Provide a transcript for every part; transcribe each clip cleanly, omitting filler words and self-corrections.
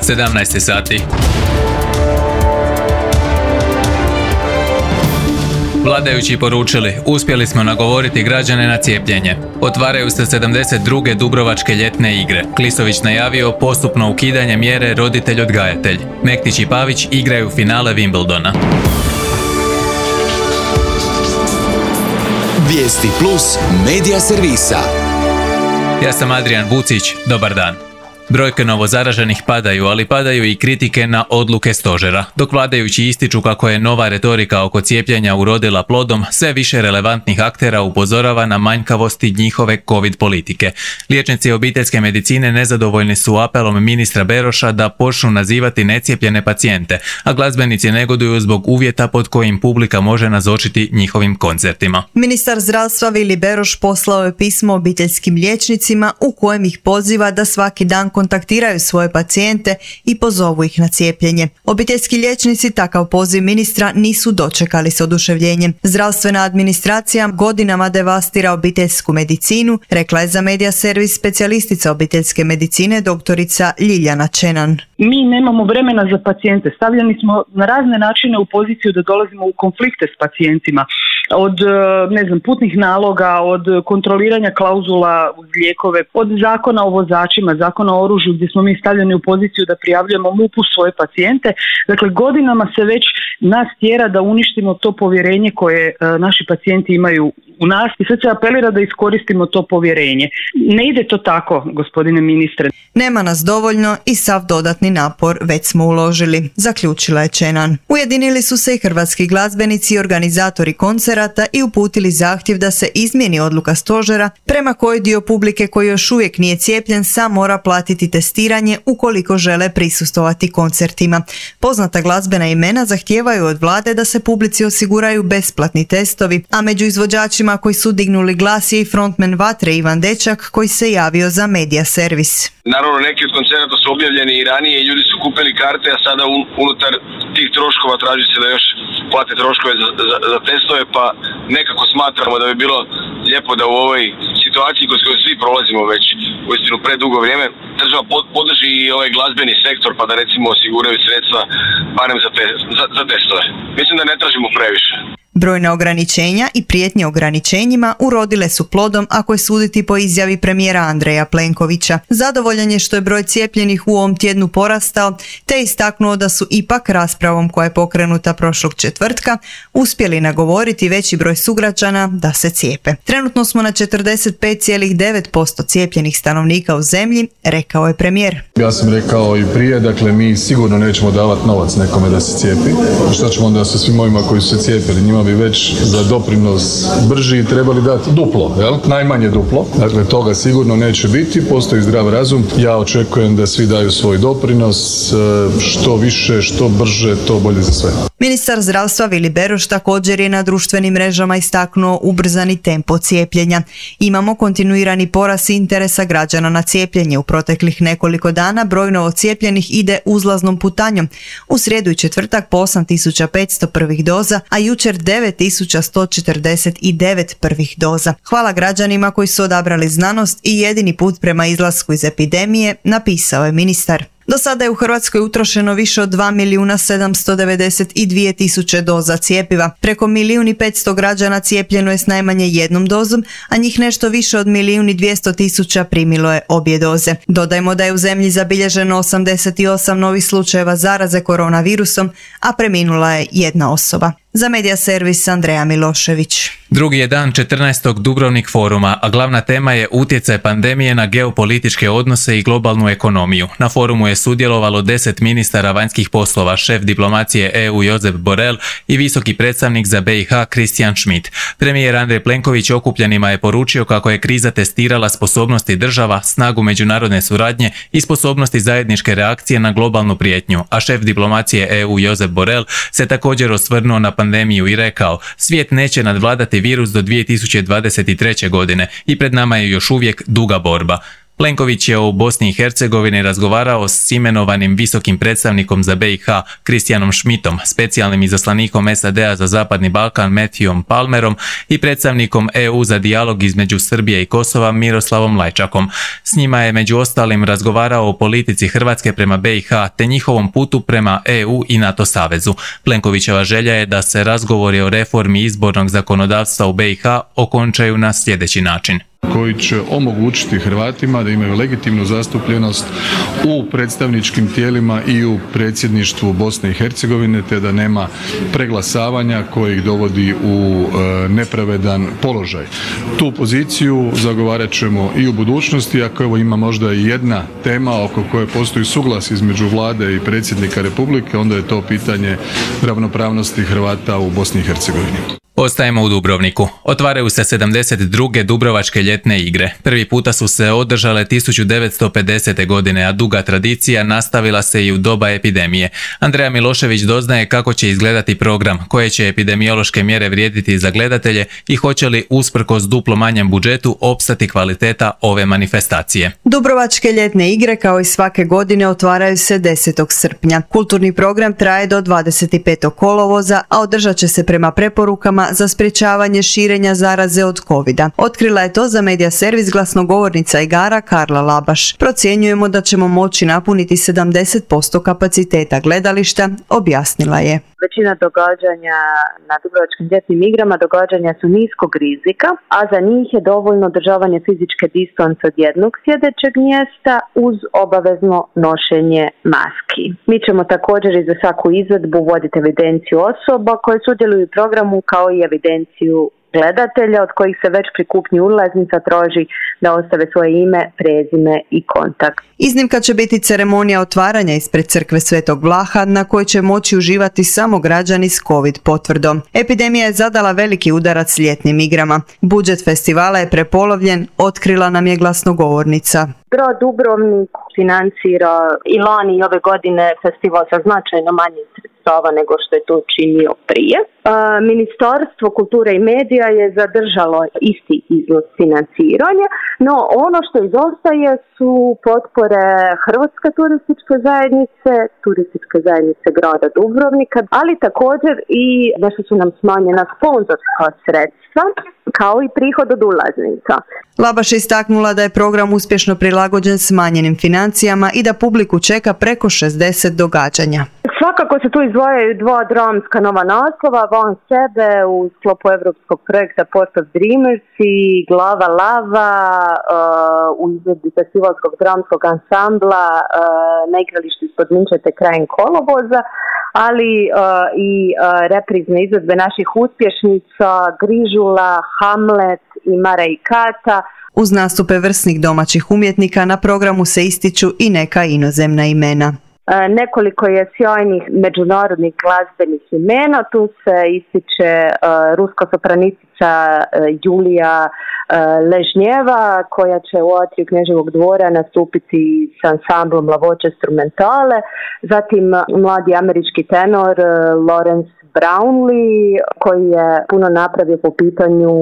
17 sati. Vladajući poručili, uspjeli smo nagovoriti građane na cijepljenje. Otvaraju se 72. Dubrovačke ljetne igre. Klisović najavio postupno ukidanje mjere roditelj-odgajatelj. Mektić i Pavić igraju finale Wimbledona. Vijesti plus medija servisa. Ja sam Adrian Vucić, dobar dan. Brojke novozaraženih padaju, ali padaju i kritike na odluke stožera. Dok vladajući ističu kako je nova retorika oko cijepljenja urodila plodom, sve više relevantnih aktera upozorava na manjkavosti njihove covid politike. Liječnici obiteljske medicine nezadovoljni su apelom ministra Beroša da počnu nazivati necijepljene pacijente, a glazbenici negoduju zbog uvjeta pod kojim publika može nazočiti njihovim koncertima. Ministar zdravstva Vili Beroš poslao je pismo obiteljskim liječnicima u kojem ih poziva da svaki dan kontaktiraju svoje pacijente i pozovu ih na cijepljenje. Obiteljski liječnici takav poziv ministra nisu dočekali s oduševljenjem. Zdravstvena administracija godinama devastira obiteljsku medicinu, rekla je za medija servis specijalistica obiteljske medicine doktorica Ljiljana Čenan. Mi nemamo vremena za pacijente. Stavljeni smo na razne načine u poziciju da dolazimo u konflikte s pacijentima. Od putnih naloga, od kontroliranja klauzula uz lijekove, od zakona o vozačima, zakona o oružju gdje smo mi stavljeni u poziciju da prijavljujemo MUP-u svoje pacijente. Dakle, godinama se već nas tjera da uništimo to povjerenje koje naši pacijenti imaju u nas i sad se apelira da iskoristimo to povjerenje. Ne ide to tako, gospodine ministre. Nema nas dovoljno i sav dodatni napor već smo uložili, zaključila je Čenan. Ujedinili su se i hrvatski glazbenici i organizatori koncerata i uputili zahtjev da se izmijeni odluka stožera prema kojoj dio publike koji još uvijek nije cijepljen sam mora platiti testiranje ukoliko žele prisustvovati koncertima. Poznata glazbena imena zahtijevaju od vlade da se publici osiguraju besplatni testovi, a među izvođačima koji su dignuli glas je i frontman Vatre Ivan Dečak koji se javio za medija servis. Naravno, neki od koncerata su objavljeni i ranije i ljudi su kupili karte, a sada unutar tih troškova traži se da još plate troškove za testove, pa nekako smatramo da bi bilo lijepo da u ovoj situaciji kroz koju svi prolazimo već uistinu predugo vrijeme, država podrži i ovaj glazbeni sektor pa da recimo osiguraju sredstva barem za testove. Mislim da ne tražimo previše. Brojna ograničenja i prijetnje ograničenjima urodile su plodom ako je suditi po izjavi premijera Andreja Plenkovića. Zadovoljan je što je broj cijepljenih u ovom tjednu porastao, te istaknuo da su ipak raspravom koja je pokrenuta prošlog četvrtka uspjeli nagovoriti veći broj sugrađana da se cijepe. Trenutno smo na 45,9% cijepljenih stanovnika u zemlji, rekao je premijer. Ja sam rekao i prije, dakle mi sigurno nećemo davati novac nekome da se cijepi. Šta ćemo onda sa svim ovima koji su se cijepili? Njima bi već za doprinos brži trebali dati duplo, jel? Najmanje duplo. Dakle, toga sigurno neće biti, postoji zdrav razum. Ja očekujem da svi daju svoj doprinos, što više, što brže, to bolje za sve. Ministar zdravstva Vili Beroš također je na društvenim mrežama istaknuo ubrzani tempo cijepljenja. Imamo kontinuirani porast interesa građana na cijepljenje. U proteklih nekoliko dana broj novocijepljenih ide uzlaznom putanjom. U srijedu i četvrtak po 8.500 prvih doza, a jučer 9.149 prvih doza. Hvala građanima koji su odabrali znanost i jedini put prema izlasku iz epidemije, napisao je ministar. Do sada je u Hrvatskoj utrošeno više od 2.792.000 doza cjepiva. Preko 1.500.000 građana cijepljeno je s najmanje jednom dozom, a njih nešto više od 1.200.000 primilo je obje doze. Dodajmo da je u zemlji zabilježeno 88 novih slučajeva zaraze koronavirusom, a preminula je jedna osoba. Za medija servis Andreja Milošević. Drugi je dan 14. Dubrovnik foruma, a glavna tema je utjecaj pandemije na geopolitičke odnose i globalnu ekonomiju. Na forumu je sudjelovalo 10 ministara vanjskih poslova, šef diplomacije EU Josep Borrell i visoki predstavnik za BiH Christian Schmidt. Premijer Andrej Plenković okupljenima je poručio kako je kriza testirala sposobnosti država, snagu međunarodne suradnje i sposobnosti zajedničke reakcije na globalnu prijetnju, a šef diplomacije EU Josep Borrell se također osvrnuo na pandemiju i rekao: svijet neće nadvladati virus do 2023. godine i pred nama je još uvijek duga borba. Plenković je u Bosni i Hercegovini razgovarao s imenovanim visokim predstavnikom za BiH Kristijanom Schmidtom, specijalnim izaslanikom SAD-a za Zapadni Balkan Matthewom Palmerom i predstavnikom EU za dijalog između Srbije i Kosova Miroslavom Lajčakom. S njima je među ostalim razgovarao o politici Hrvatske prema BiH te njihovom putu prema EU i NATO savezu. Plenkovićeva želja je da se razgovori o reformi izbornog zakonodavstva u BiH okončaju na sljedeći način. Koji će omogućiti Hrvatima da imaju legitimnu zastupljenost u predstavničkim tijelima i u predsjedništvu Bosne i Hercegovine, te da nema preglasavanja koji ih dovodi u nepravedan položaj. Tu poziciju zagovarat ćemo i u budućnosti, ako evo ima možda i jedna tema oko koje postoji suglas između vlade i predsjednika Republike, onda je to pitanje ravnopravnosti Hrvata u Bosni i Hercegovini. Ostajemo u Dubrovniku. Otvaraju se 72. Dubrovačke ljetne igre. Prvi puta su se održale 1950. godine, a duga tradicija nastavila se i u doba epidemije. Andreja Milošević doznaje kako će izgledati program, koje će epidemiološke mjere vrijediti za gledatelje i hoće li usprkos duplo manjem budžetu opstati kvaliteta ove manifestacije. Dubrovačke ljetne igre kao i svake godine otvaraju se 10. srpnja. Kulturni program traje do 25. kolovoza, a održat će se prema preporukama za sprječavanje širenja zaraze od covida. Otkrila je to za Medija servis glasnogovornica igara Karla Labaš. Procjenjujemo da ćemo moći napuniti 70% kapaciteta gledališta, objasnila je. Većina događanja na Dubrovačkim ljetnim igrama događanja su niskog rizika, a za njih je dovoljno održavanje fizičke distance od jednog sjedećeg mjesta uz obavezno nošenje maski. Mi ćemo također i za svaku izvedbu voditi evidenciju osoba koje sudjeluju u programu kao i evidenciju gledatelja od kojih se već pri kupnji ulaznica traži da ostave svoje ime, prezime i kontakt. Iznimka će biti ceremonija otvaranja ispred crkve Svetog Vlaha na kojoj će moći uživati samo građani s COVID potvrdom. Epidemija je zadala veliki udarac ljetnim igrama. Budžet festivala je prepolovljen, otkrila nam je glasnogovornica. Grad Dubrovnik financira i lani i ove godine festival sa značajno manjim sredstava nego što je to činio prije. Ministarstvo kulture i medija je zadržalo isti iznos financiranja, no ono što izostaje su potpore Hrvatske turističke zajednice grada Dubrovnika, ali također i nešto su nam smanjena sponzorska sredstva, kao i prihod od ulaznica. Labaš je istaknula da je program uspješno prilagođen smanjenim financijama i da publiku čeka preko 60 događanja. Svakako se tu izdvajaju dva dramska nova naslova, Van sebe u sklopu evropskog projekta Port of Dreamers i Glava lava u izvedbi festivalskog dramskog ansambla na igralištu ispod Minčete krajem kolovoza, ali i reprizne izvedbe naših uspješnica Grižula, Hamlet i Mara i Kata. Uz nastupe vrsnih domaćih umjetnika na programu se ističu i neka inozemna imena. Nekoliko je sjajnih međunarodnih glazbenih imena, tu se ističe ruska sopranistica Julija Ležnjeva koja će u atriju Kneževog dvora nastupiti s ansamblom La Voce Strumentale, zatim mladi američki tenor Lawrence Brownlee koji je puno napravio po pitanju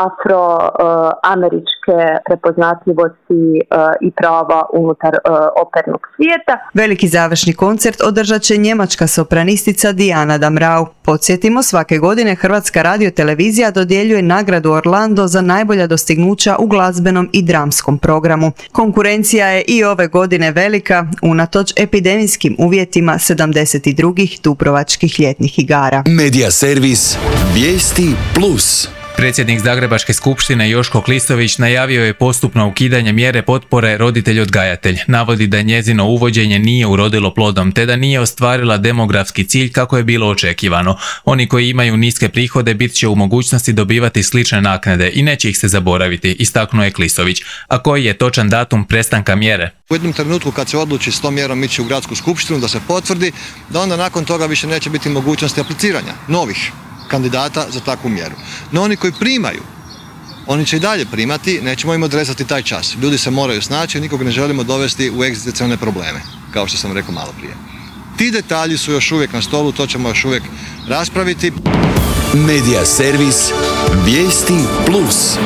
afroameričke prepoznatljivosti i prava unutar opernog svijeta. Veliki završni koncert održat će njemačka sopranistica Diana Damrau. Podsjetimo, svake godine Hrvatska radiotelevizija dodjeljuje nagradu Orlando za najbolja dostignuća u glazbenom i dramskom programu. Konkurencija je i ove godine velika, unatoč epidemijskim uvjetima 72. Dubrovačkih ljetnih igara. Medija servis Vijesti Plus. Predsjednik Zagrebačke skupštine Joško Klisović najavio je postupno ukidanje mjere potpore roditelj-odgajatelj. Navodi da njezino uvođenje nije urodilo plodom, te da nije ostvarila demografski cilj kako je bilo očekivano. Oni koji imaju niske prihode bit će u mogućnosti dobivati slične naknade i neće ih se zaboraviti, istaknuo je Klisović. A koji je točan datum prestanka mjere? U jednom trenutku kad se odluči s tom mjerom ići u gradsku skupštinu da se potvrdi, da onda nakon toga više neće biti mogućnosti apliciranja novih kandidata za takvu mjeru. No oni koji primaju, oni će i dalje primati, nećemo im odrezati taj čas. Ljudi se moraju snaći, nikog ne želimo dovesti u egzistencijalne probleme, kao što sam rekao malo prije. Ti detalji su još uvijek na stolu, to ćemo još uvijek raspraviti. Medija servis Vijesti Plus.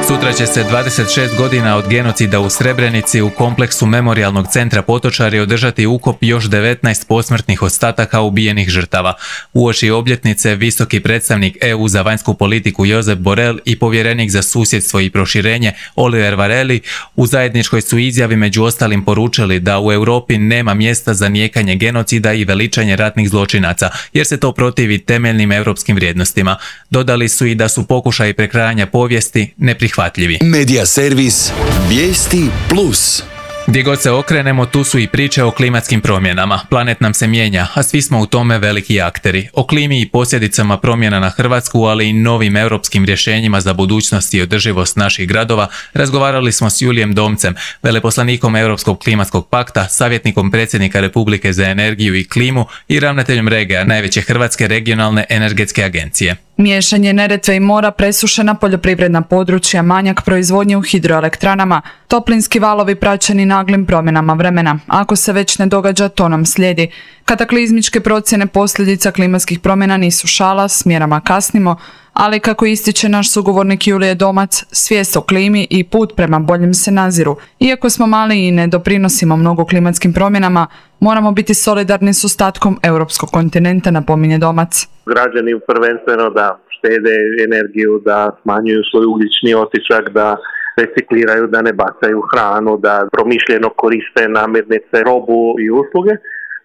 Sutra će se 26 godina od genocida u Srebrenici u kompleksu Memorijalnog centra Potočari održati ukop još 19 posmrtnih ostataka ubijenih žrtava. Uoči obljetnice visoki predstavnik EU za vanjsku politiku Josep Borrell i povjerenik za susjedstvo i proširenje Oliver Varhelyi u zajedničkoj su izjavi među ostalim poručili da u Europi nema mjesta za nijekanje genocida i veličanje ratnih zločinaca, jer se to protivi temeljnim europskim vrijednostima. Dodali su i da su pokušaji prekrajanja povijesti neprihvatljivi. Medija servis Vijesti Plus. Gdje god se okrenemo, tu su i priče o klimatskim promjenama. Planet nam se mijenja, a svi smo u tome veliki akteri. O klimi i posljedicama promjena na Hrvatsku, ali i novim europskim rješenjima za budućnost i održivost naših gradova, razgovarali smo s Julijem Domcem, veleposlanikom Europskog klimatskog pakta, savjetnikom predsjednika Republike za energiju i klimu i ravnateljem REGA, najveće hrvatske regionalne energetske agencije. Miješanje Neretve i mora, presušena poljoprivredna područja, manjak proizvodnje u hidroelektranama, toplinski valovi praćeni naglim promjenama vremena. Ako se već ne događa, to nam slijedi. Kataklizmičke procjene posljedica klimatskih promjena nisu šala, s mjerama kasnimo, ali kako ističe naš sugovornik Julije Domac, svijest o klimi i put prema boljem se naziru. Iako smo mali i ne doprinosimo mnogo klimatskim promjenama, moramo biti solidarni s ostatkom europskog kontinenta, napominje Domac. Građani prvenstveno da štede energiju, da smanjuju svoj ugljični otisak, da recikliraju, da ne bacaju hranu, da promišljeno koriste namirnice, robu i usluge.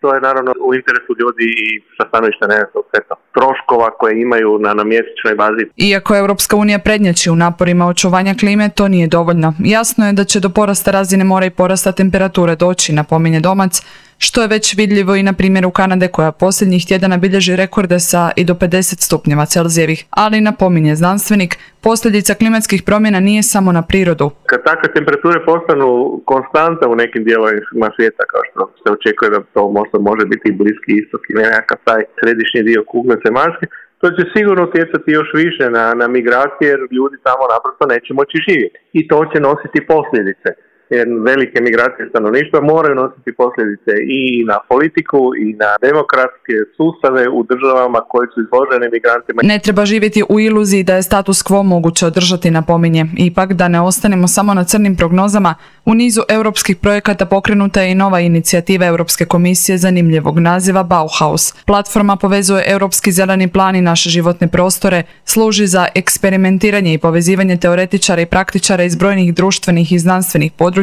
To je naravno u interesu ljudi i sa stanovišta nekakvog troškova koje imaju na mjesečnoj bazi. Iako Europska unija prednjači u naporima očuvanja klime, to nije dovoljno. Jasno je da će do porasta razine mora i porasta temperature doći, napominje Domac, što je već vidljivo i na primjeru Kanade koja posljednjih tjedana bilježi rekorde sa i do 50 stupnjeva Celzijevih. Ali, napominje znanstvenik, posljedica klimatskih promjena nije samo na prirodu. Kad takve temperature postanu konstanta u nekim dijelovima svijeta, kao što se očekuje da to možda može biti i Bliski istok ili nekakav taj središnji dio kugle zemaljske, to će sigurno utjecati još više na migracije, jer ljudi tamo naprosto neće moći živjeti. I to će nositi posljedice. Jer velike migracije stanovništva moraju nositi posljedice i na politiku i na demokratske sustave u državama koji su izloženi migrantima. Ne treba živjeti u iluziji da je status quo moguće održati, napominje. Ipak, da ne ostanemo samo na crnim prognozama, u nizu europskih projekata pokrenuta je i nova inicijativa Europske komisije zanimljivog naziva Bauhaus. Platforma povezuje Europski zeleni plan i naše životne prostore, služi za eksperimentiranje i povezivanje teoretičara i praktičara iz brojnih društvenih i znanstvenih područja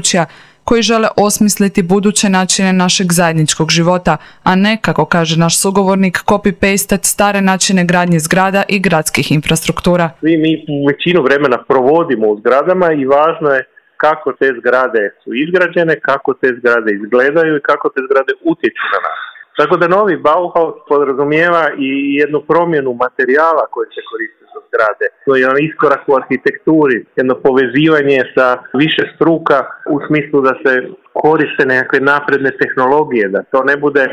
koji žele osmisliti buduće načine našeg zajedničkog života, a ne, kako kaže naš sugovornik, copy-pastet stare načine gradnje zgrada i gradskih infrastruktura. Svi mi većinu vremena provodimo u zgradama i važno je kako te zgrade su izgrađene, kako te zgrade izgledaju i kako te zgrade utječu na nas. Tako da novi Bauhaus podrazumijeva i jednu promjenu materijala koji se koriste za zgrade. To je jedan iskorak u arhitekturi, jedno povezivanje sa više struka u smislu da se koriste nekakve napredne tehnologije, da to ne bude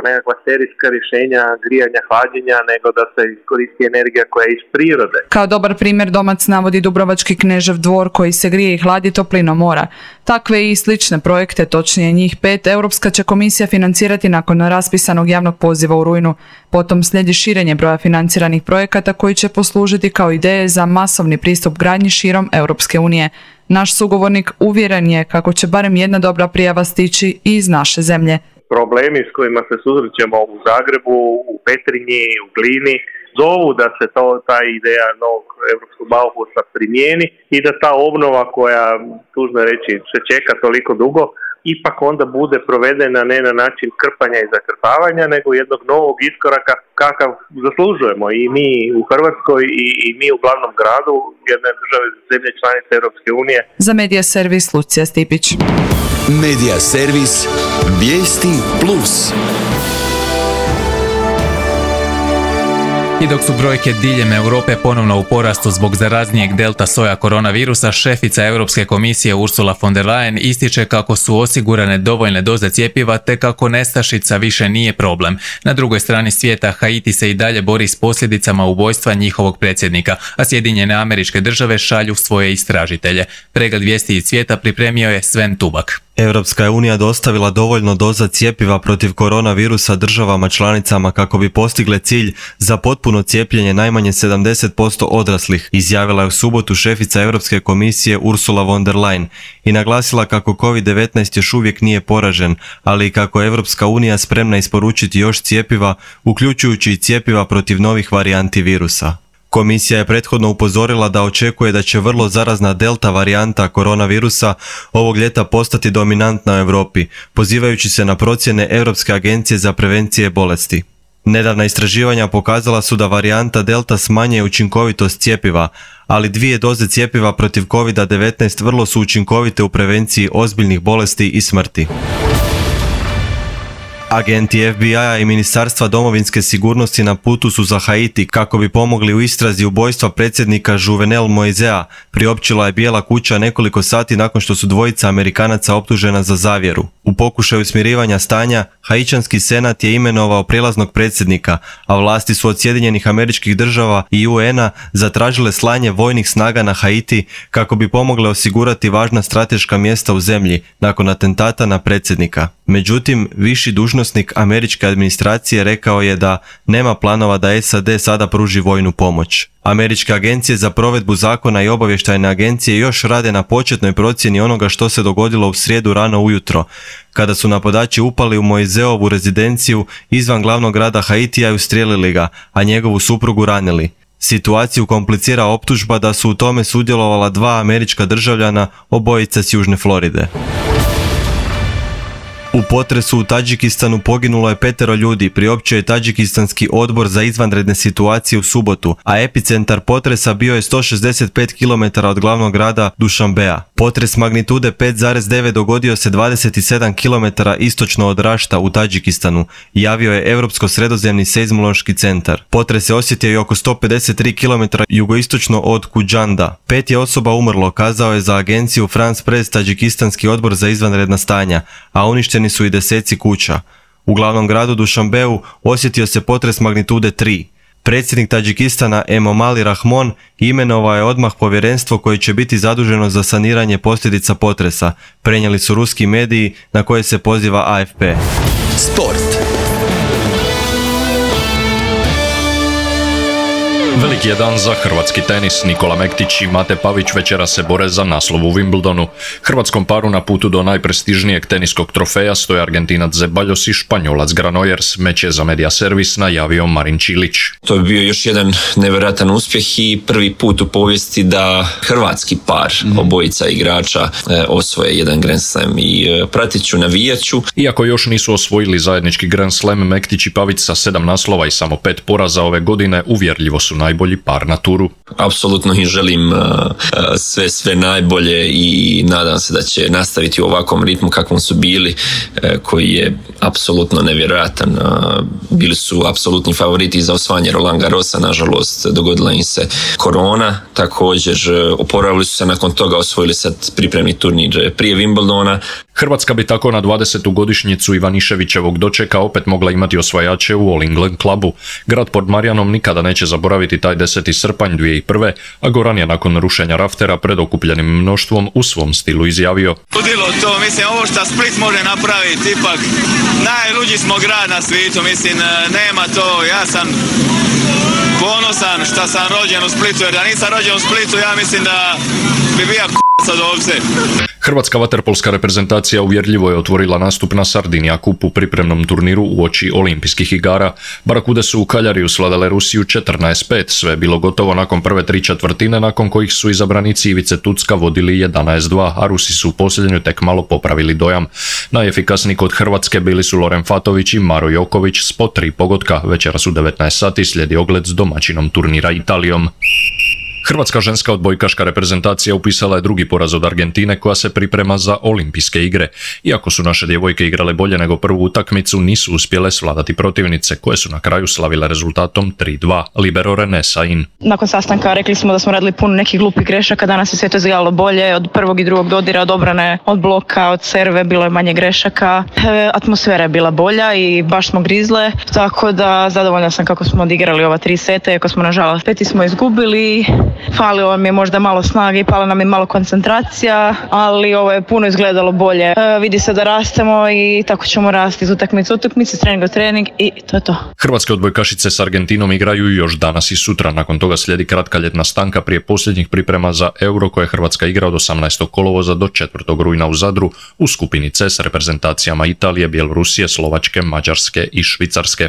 nekakva serijska rješenja grijanja, hlađenja, nego da se koristi energija koja je iz prirode. Kao dobar primjer Domac navodi Dubrovački Knežev dvor koji se grije i hladi toplinom mora. Takve i slične projekte, točnije njih 5, Europska će komisija financirati nakon raspisanog javnog poziva u rujnu. Potom slijedi širenje broja financiranih projekata koji će poslužiti kao ideje za masovni pristup gradnji širom Europske unije. Naš sugovornik uvjeren je kako će barem jedna dobra prijava stići i iz naše zemlje. Problemi s kojima se susrećemo u Zagrebu, u Petrinji, u Glini, zovu da se ta ideja novog europskog Bauhausa primijeni i da ta obnova koja, tužno reći, se čeka toliko dugo, ipak onda bude provedena ne na način krpanja i zakrpavanja, nego jednog novog iskoraka kakav zaslužujemo i mi u Hrvatskoj i mi u glavnom gradu jedne države zemlje članice Europske unije. Za Medija servis Lucija Stipić. Medija servis Vijesti Plus. I dok su brojke diljem Europe ponovno u porastu zbog zaraznijeg delta soja koronavirusa, šefica Europske komisije Ursula von der Leyen ističe kako su osigurane dovoljne doze cjepiva te kako nestašica više nije problem. Na drugoj strani svijeta Haiti se i dalje bori s posljedicama ubojstva njihovog predsjednika, a Sjedinjene Američke Države šalju svoje istražitelje. Pregled vijesti iz svijeta pripremio je Sven Tubak. Europska je unija dostavila dovoljno doza cjepiva protiv koronavirusa državama članicama kako bi postigle cilj za potpuno cijepljenje najmanje 70% odraslih, izjavila je u subotu šefica Europske komisije Ursula von der Leyen i naglasila kako COVID-19 još uvijek nije poražen, ali i kako je Europska unija spremna isporučiti još cjepiva, uključujući i cjepiva protiv novih varijanti virusa. Komisija je prethodno upozorila da očekuje da će vrlo zarazna delta varijanta koronavirusa ovog ljeta postati dominantna u Europi, pozivajući se na procjene Europske agencije za prevencije bolesti. Nedavna istraživanja pokazala su da varijanta delta smanjuje učinkovitost cjepiva, ali 2 doze cjepiva protiv COVID-19 vrlo su učinkovite u prevenciji ozbiljnih bolesti i smrti. Agenti FBI-a i Ministarstva domovinske sigurnosti na putu su za Haiti kako bi pomogli u istrazi ubojstva predsjednika Juvenel Moisea, priopćila je Bijela kuća nekoliko sati nakon što su dvojica Amerikanaca optužena za zavjeru. U pokušaju smirivanja stanja, Haićanski senat je imenovao prijelaznog predsjednika, a vlasti su od Sjedinjenih Američkih Država i UN-a zatražile slanje vojnih snaga na Haiti kako bi pomogle osigurati važna strateška mjesta u zemlji nakon atentata na predsjednika. Međutim, viši dužnosnik američke administracije rekao je da nema planova da SAD sada pruži vojnu pomoć. Američke agencije za provedbu zakona i obavještajne agencije još rade na početnoj procjeni onoga što se dogodilo u srijedu rano ujutro, kada su napadači upali u Moiseovu rezidenciju izvan glavnog grada Haitija i ustrijelili ga, a njegovu suprugu ranili. Situaciju komplicira optužba da su u tome sudjelovala 2 američka državljana, obojica s Južne Floride. U potresu u Tadžikistanu poginulo je 5 ljudi, priopćio je Tadžikistanski odbor za izvanredne situacije u subotu, a epicentar potresa bio je 165 km od glavnog grada Dušanbea. Potres magnitude 5,9 dogodio se 27 km istočno od Rašta u Tadžikistanu, javio je Europsko-sredozemni seizmološki centar. Potres je osjetio i oko 153 km jugoistočno od Kudžanda. 5 je osoba umrlo, kazao je za agenciju France Press Tadžikistanski odbor za izvanredna stanja, a uništeni su i deseci kuća. U glavnom gradu Dušanbeu osjetio se potres magnitude 3. Predsjednik Tadžikistana Emomali Rahmon imenovao je odmah povjerenstvo koje će biti zaduženo za saniranje posljedica potresa, prenijeli su ruski mediji na koje se poziva AFP. Sport. Veliki je dan za hrvatski tenis. Nikola Mektić i Mate Pavić večera se bore za naslov u Wimbledonu. Hrvatskom paru na putu do najprestižnijeg teniskog trofeja stoje Argentinac Zeballos i Španjolac Granollers. Meč je za Media Servis najavio Marin Čilić. To je bio još jedan nevjerojatan uspjeh i prvi put u povijesti da hrvatski par, obojica igrača, osvoje jedan Grand Slam i pratit ću, navijat ću. Iako još nisu osvojili zajednički Grand Slam, Mektić i Pavić sa 7 naslova i samo 5 poraza ove godine uvjerljivo su najbolji par na turu. Apsolutno im želim sve najbolje i nadam se da će nastaviti u ovakvom ritmu kakvom su bili, koji je apsolutno nevjerojatan. Bili su apsolutni favoriti za osvajanje Roland Garrosa, nažalost dogodila im se korona, također oporavili su se nakon toga, osvojili sad pripremni turnir prije Wimbledona. Hrvatska bi tako na 20. godišnjicu Ivaniševićevog dočeka opet mogla imati osvajače u All England klubu. Grad pod Marijanom nikada neće zaboraviti taj 10. srpanj 2001. a Goran je nakon rušenja raftera pred okupljenim mnoštvom u svom stilu izjavio: Ludilo to, mislim, ovo što Split može napraviti, ipak najluđi smo grad na svijetu, mislim, nema to, ja sam ponosan što sam rođen u Splitu, jer da nisam rođen u Splitu, ja mislim da bi bio sad ovdje. Hrvatska vaterpolska reprezentacija uvjerljivo je otvorila nastup na Sardinija Cup u pripremnom turniru uoči olimpijskih igara. Barakude su u Kaljariju svladale Rusiju 14-5, sve je bilo gotovo nakon prve 3/4, nakon kojih su izabranici Ivice Tucka vodili 11-2, a Rusi su u posljednju tek malo popravili dojam. Najefikasniji kod Hrvatske bili su Loren Fatović i Maro Joković s po 3 pogotka. Večeras u 19 sati slijedi ogled s domaćinom turnira Italijom. Hrvatska ženska odbojkaška reprezentacija upisala je drugi poraz od Argentine koja se priprema za olimpijske igre. Iako su naše djevojke igrale bolje nego prvu utakmicu, nisu uspjele svladati protivnice koje su na kraju slavile rezultatom 3-2. Libero Renée Sain. Nakon sastanka rekli smo da smo radili puno nekih glupih grešaka, danas je sve to izgledalo bolje, od prvog i drugog dodira, od obrane, od bloka, od serve bilo je manje grešaka. Atmosfera je bila bolja i baš smo grizle, tako da zadovoljna sam kako smo odigrali ova 3 seta, iako smo nažalost 5 smo izgubili. Falilo mi je možda malo snage i pala nam je malo koncentracija, ali ovo je puno izgledalo bolje. Vidi se da rastemo i tako ćemo rasti iz utakmice u utakmice, trening u trening i to je to. Hrvatske odbojkašice s Argentinom igraju još danas i sutra. Nakon toga slijedi kratka ljetna stanka prije posljednjih priprema za Euro koje Hrvatska igra od 18. kolovoza do 4. rujna u Zadru u skupini C s reprezentacijama Italije, Bjelorusije, Slovačke, Mađarske i Švicarske.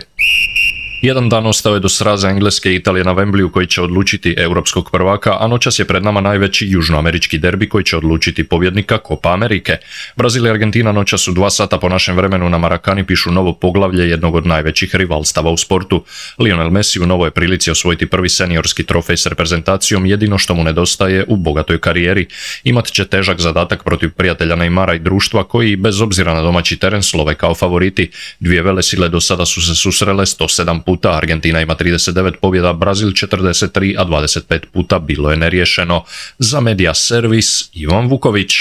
Jedan dan ostao je do sraza Engleske i Italije na Wembleyu koji će odlučiti europskog prvaka, a noćas je pred nama najveći južnoamerički derbi koji će odlučiti pobjednika Copa Amerike. Brazil i Argentina noćas u 2 sata po našem vremenu na Marakani pišu novo poglavlje jednog od najvećih rivalstava u sportu. Lionel Messi u novoj prilici osvojiti prvi seniorski trofej s reprezentacijom, jedino što mu nedostaje u bogatoj karijeri. Imat će težak zadatak protiv prijatelja Neymara i društva koji, bez obzira na domaći teren, slove kao favoriti. Dvije velesile do sada su se susrele 107 puta, Argentina ima 39 pobjeda, Brazil 43, a 25 puta bilo je neriješeno. Za Media Servis, Ivan Vuković.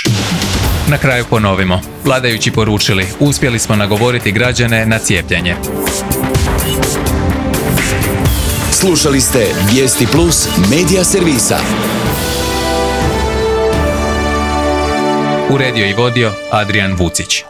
Na kraju ponovimo. Vladajući poručili, uspjeli smo nagovoriti građane na cijepljenje. Slušali ste Vijesti Plus Media Servisa. Uredio i vodio Adrian Vucić.